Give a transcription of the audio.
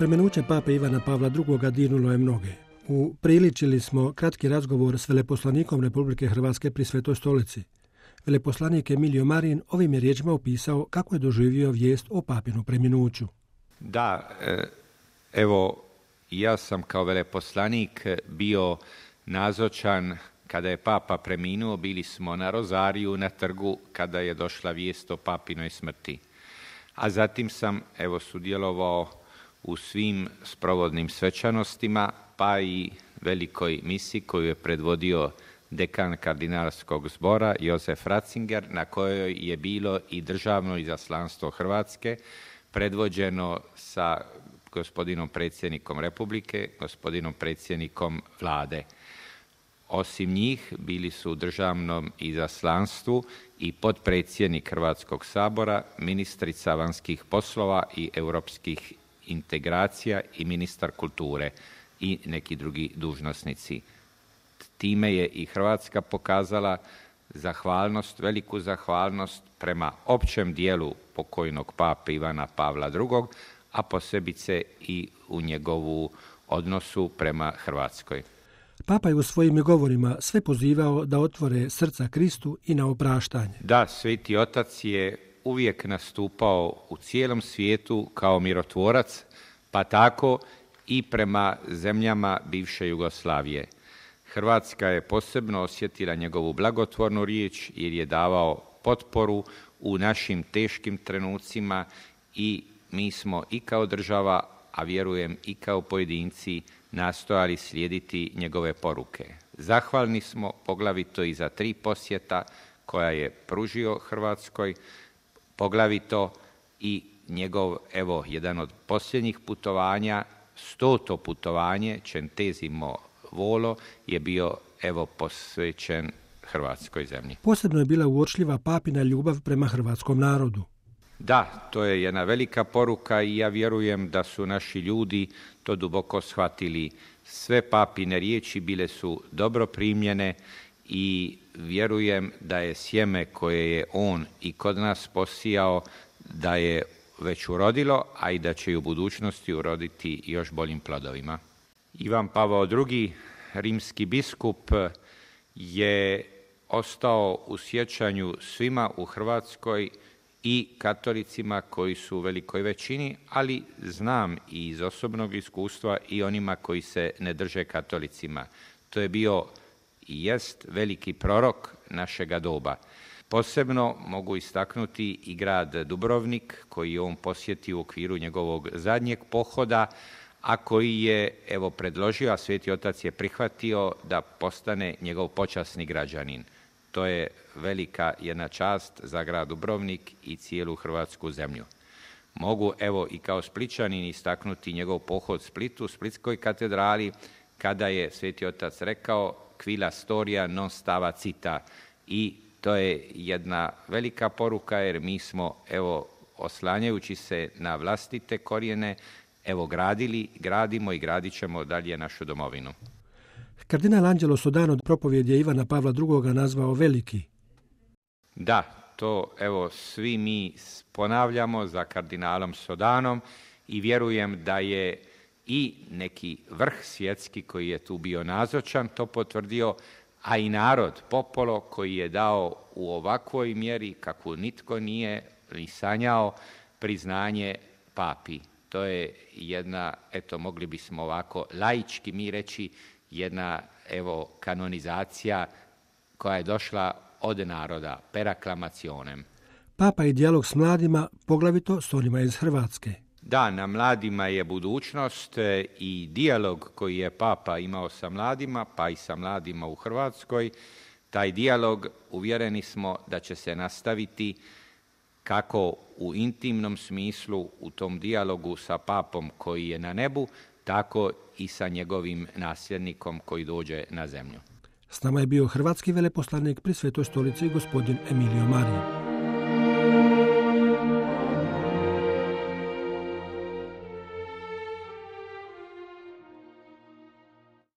Preminuće pape Ivana Pavla II. Dirnulo je mnoge. Upriličili smo kratki razgovor s veleposlanikom Republike Hrvatske pri Svetoj stolici. Veleposlanik Emilio Marin ovim je riječima opisao kako je doživio vijest o papinu preminuću. Da, evo, ja sam kao veleposlanik bio nazočan kada je papa preminuo. Bili smo na Rozariju, na trgu, kada je došla vijest o papinoj smrti. A zatim sam, sudjelovao u svim sprovodnim svečanostima, pa i velikoj misiji koju je predvodio dekan kardinalskog zbora Josef Ratzinger, na kojoj je bilo i državno izaslanstvo Hrvatske, predvođeno sa gospodinom predsjednikom Republike, gospodinom predsjednikom Vlade. Osim njih bili su u državnom izaslanstvu i potpredsjednik Hrvatskog sabora, ministrica vanjskih poslova i europskih integracija i ministar kulture i neki drugi dužnosnici. Time je i Hrvatska pokazala veliku zahvalnost prema općem dijelu pokojnog pape Ivana Pavla II, a posebice i u njegovu odnosu prema Hrvatskoj. Papa je u svojim govorima sve pozivao da otvore srca Kristu i na opraštanje. Da, Sveti Otac je uvijek nastupao u cijelom svijetu kao mirotvorac, pa tako i prema zemljama bivše Jugoslavije. Hrvatska je posebno osjetila njegovu blagotvornu riječ jer je davao potporu u našim teškim trenucima i mi smo i kao država, a vjerujem i kao pojedinci, nastojali slijediti njegove poruke. Zahvalni smo poglavito i za 3 posjeta koja je pružio Hrvatskoj, poglavito i njegov, jedan od posljednjih putovanja, 100. putovanje, Centesimo volo, je bio, posvećen hrvatskoj zemlji. Posebno je bila uočljiva papina ljubav prema hrvatskom narodu. Da, to je jedna velika poruka i ja vjerujem da su naši ljudi to duboko shvatili. Sve papine riječi bile su dobro primljene i vjerujem da je sjeme koje je on i kod nas posijao, da je već urodilo, a i da će i u budućnosti uroditi još boljim plodovima. Ivan Pavao II, rimski biskup, je ostao u sjećanju svima u Hrvatskoj i katolicima koji su u velikoj većini, ali znam i iz osobnog iskustva i onima koji se ne drže katolicima. To je bio i jest veliki prorok našega doba. Posebno mogu istaknuti i grad Dubrovnik, koji je on posjetio u okviru njegovog zadnjeg pohoda, a koji je predložio, a Sveti Otac je prihvatio da postane njegov počasni građanin. To je velika jedna čast za grad Dubrovnik i cijelu hrvatsku zemlju. Mogu i kao Splićanin istaknuti njegov pohod Splitu, Splitskoj katedrali, kada je Sveti Otac rekao quila storia non stava cita, i to je jedna velika poruka jer mi smo oslanjajući se na vlastite korijene gradili, gradimo i gradit ćemo dalje našu domovinu. Kardinal Angelo Sodano propovjed je Ivana Pavla II. Nazvao veliki. Da, to svi mi ponavljamo za kardinalom Sodanom i vjerujem da je i neki vrh svjetski koji je tu bio nazočan to potvrdio, a i narod, popolo, koji je dao u ovakvoj mjeri kakvu nitko nije ni sanjao priznanje papi. To je jedna, mogli bismo ovako laički mi reći, jedna kanonizacija koja je došla od naroda, per acclamationem. Papa i dijalog s mladima, poglavito s onima iz Hrvatske. Da, na mladima je budućnost i dijalog koji je papa imao sa mladima, pa i sa mladima u Hrvatskoj. Taj dijalog, uvjereni smo da će se nastaviti kako u intimnom smislu u tom dijalogu sa papom koji je na nebu, tako i sa njegovim nasljednikom koji dođe na zemlju. S nama je bio hrvatski veleposlanik pri Svetoj stolici gospodin Emilio Marin.